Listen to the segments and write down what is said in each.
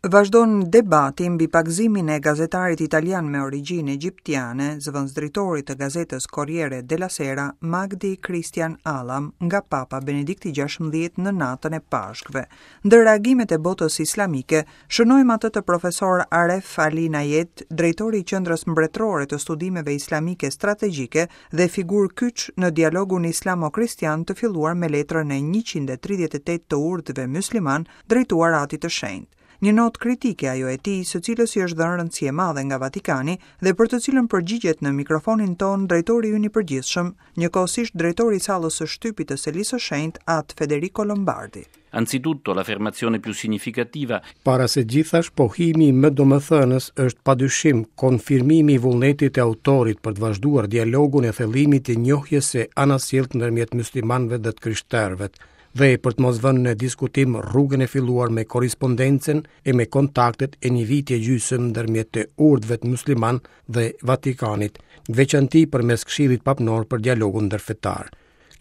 Vazhdon debati mbi pagëzimin e gazetarit italian me origjinë egjiptiane, zëvendësdrejtorit të gazetës Corriere della Sera, Magdi Christian Allam, nga Papa Benedikti XVI në natën e Pashkëve. Ndër reagimet e botës islamike, shënojmë atë të profesor Aref Ali Nayed, drejtori i Qendrës Mbretërore të Studimeve Islamike Strategjike dhe figurë kyç në dialogun islamo-kristian të filluar me letrën e 138 të urtëve myslimanë drejtuar Atit të Shenjtë. Një notë kritike ajo e tij, së cilës i është dhënë rëndësi e madhe nga Vatikani dhe për të cilën përgjigjet në mikrofonin tonë drejtori ynë i përgjithshëm, njëkohësisht drejtori i sallës së shtypit të Selisë së Shenjtë, At Federico Lombardi. Anzitutto, l'affermazione più significativa Para së gjithash, pohimi më domethënës është padyshim konfirmimi i vullnetit të autorit për të vazhduar dialogun e thellimit të njohjes së anasjelltë ndërmjet myslimanëve dhe të krishterëve, dhe për të mos vënë në diskutim rrugën e filluar me korrespondencën e me kontaktet e një viti e gjysmë ndërmjet të urtëve muslimanë dhe Vatikanit, në veçanti përmes Këshillit Papnor për dialogun ndërfetar.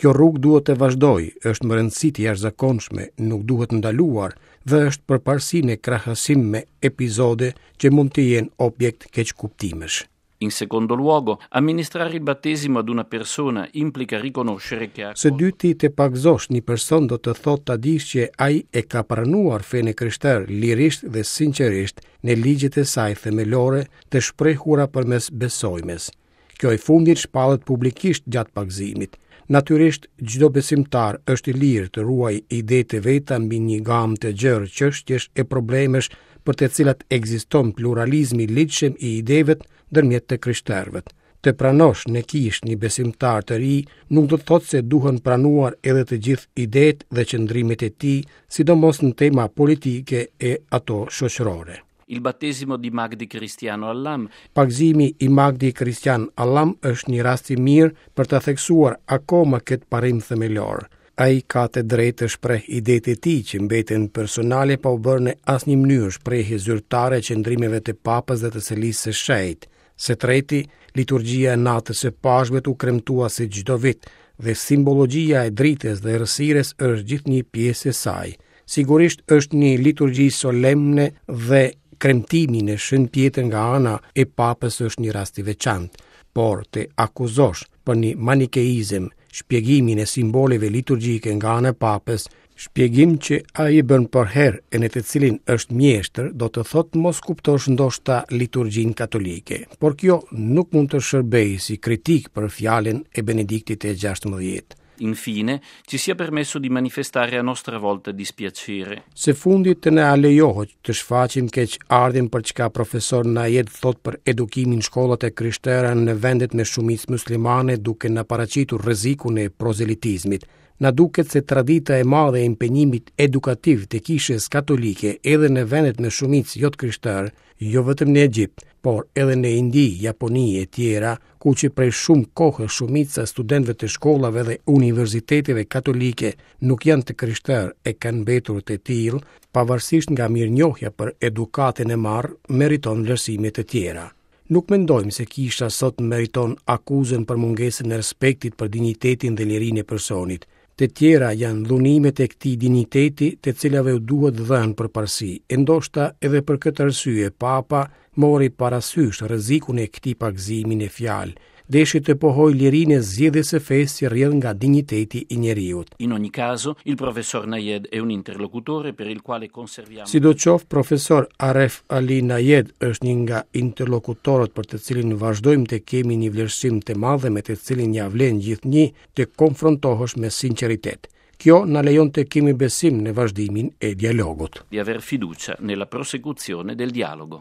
Kjo rrugë duhet të vazhdojë, është me rëndësi të jashtëzakonshme, nuk duhet ndaluar dhe është përparësi në krahasim me episode që mund të jenë objekt keqkuptimesh. In secondo luogo, amministrare il battesimo ad una persona implica riconoscere che ha Së dyti, të pagëzosh një person do të thotë ta dish që ai e ka pranuar fenë e krishterë lirisht dhe sinqerisht në ligjet e saj themelore të shprehura përmes besojmes. Kjo e fundit shpallet publikisht gjatë pagëzimit. Natyrisht, çdo besimtar është i lirë të ruajë idetë e veta mbi një gamë të gjerë çështjesh e problemesh për të cilat ekziston pluralizmi i ligjshëm i ideve ndërmjet të krishterëve. Të pranosh në kishë një besimtar të ri nuk do të thotë se duhen pranuar edhe të gjithë idetë dhe qëndrimet e tij, sidomos në tema politike e ato shoqërore. Il battesimo di Magdi Cristiano Allam Pagëzimi i Magdi Christian Allam është një rast i mirë për të theksuar akoma këtë parim themelor. Ai ka të drejtë të shpreh idetë e tij që mbeten personale pa u bërë në asnjë mënyrë shprehje zyrtare e qëndrimeve të Papës dhe të Selisë së Shenjtë. Së treti, liturgjia e natës së Pashkëve u kremtua si çdo vit dhe simbologjia e dritës dhe errësirës është gjithnjë pjesë e saj. Sigurisht është një liturgji solemne dhe kremtimi në Shën Pjetër nga ana e Papës është një rast i veçantë, por të akuzosh për një manikeizëm shpjegimin e simboleve liturgjike nga ana e Papës, shpjegim që ai e bën përherë e në të cilin është mjeshtër, do të thotë mos kuptosh ndoshta liturgjinë katolike. Por kjo nuk mund të shërbejë si kritikë për fjalën e Benediktit të XVI. Infine, ci sia permesso di manifestare a nostra volta dispiacere. Së fundi të na lejohet të shfaqim keqardhjen për çka profesor Nayed thotë për edukimin në shkollat e krishtera në vendet me shumicë muslimane duke na paraqitur rrezikun e prozelitizmit. Na duket se tradita e madhe e impenjimit edukativ të kishës katolike edhe në vendet me shumicë jo të krishterë, jo vetëm në Egjipt, por edhe në Indi, Japoni e tjera, ku që prej shumë kohë shumica e studentëve të shkollave dhe universiteteve katolike nuk janë të krishterë e kanë mbetur të tillë, pavarësisht nga mirënjohja për edukatën e marrë, meriton vlerësime të tjera. Nuk mendojmë se kisha sot meriton akuzën për mungesën e respektit për dinjitetin dhe lirinë e personit. Të tjera janë dhunimet e këtij dinjiteti të cilave u duhet dhënë përparësi, e ndoshta edhe për këtë arsye Papa mori parasysh rrezikun e këtij pagëzimi në fjalë, deshi të pohojë lirinë e zgjedhjes së fesë që rrjedh nga dinjiteti i njeriut. In ogni caso, il professor Nayed è un interlocutore per il quale conserviamo Sidoqoftë, profesor Aref Ali Nayed është një nga interlokutorët për të cilin vazhdojmë të kemi një vlerësim të madh dhe me të cilin ia vlen gjithnjë të konfrontohesh me sinqeritet. Kjo na lejon të kemi besim në vazhdimin e dialogut. Di aver fiducia nella prosecuzione del dialogo.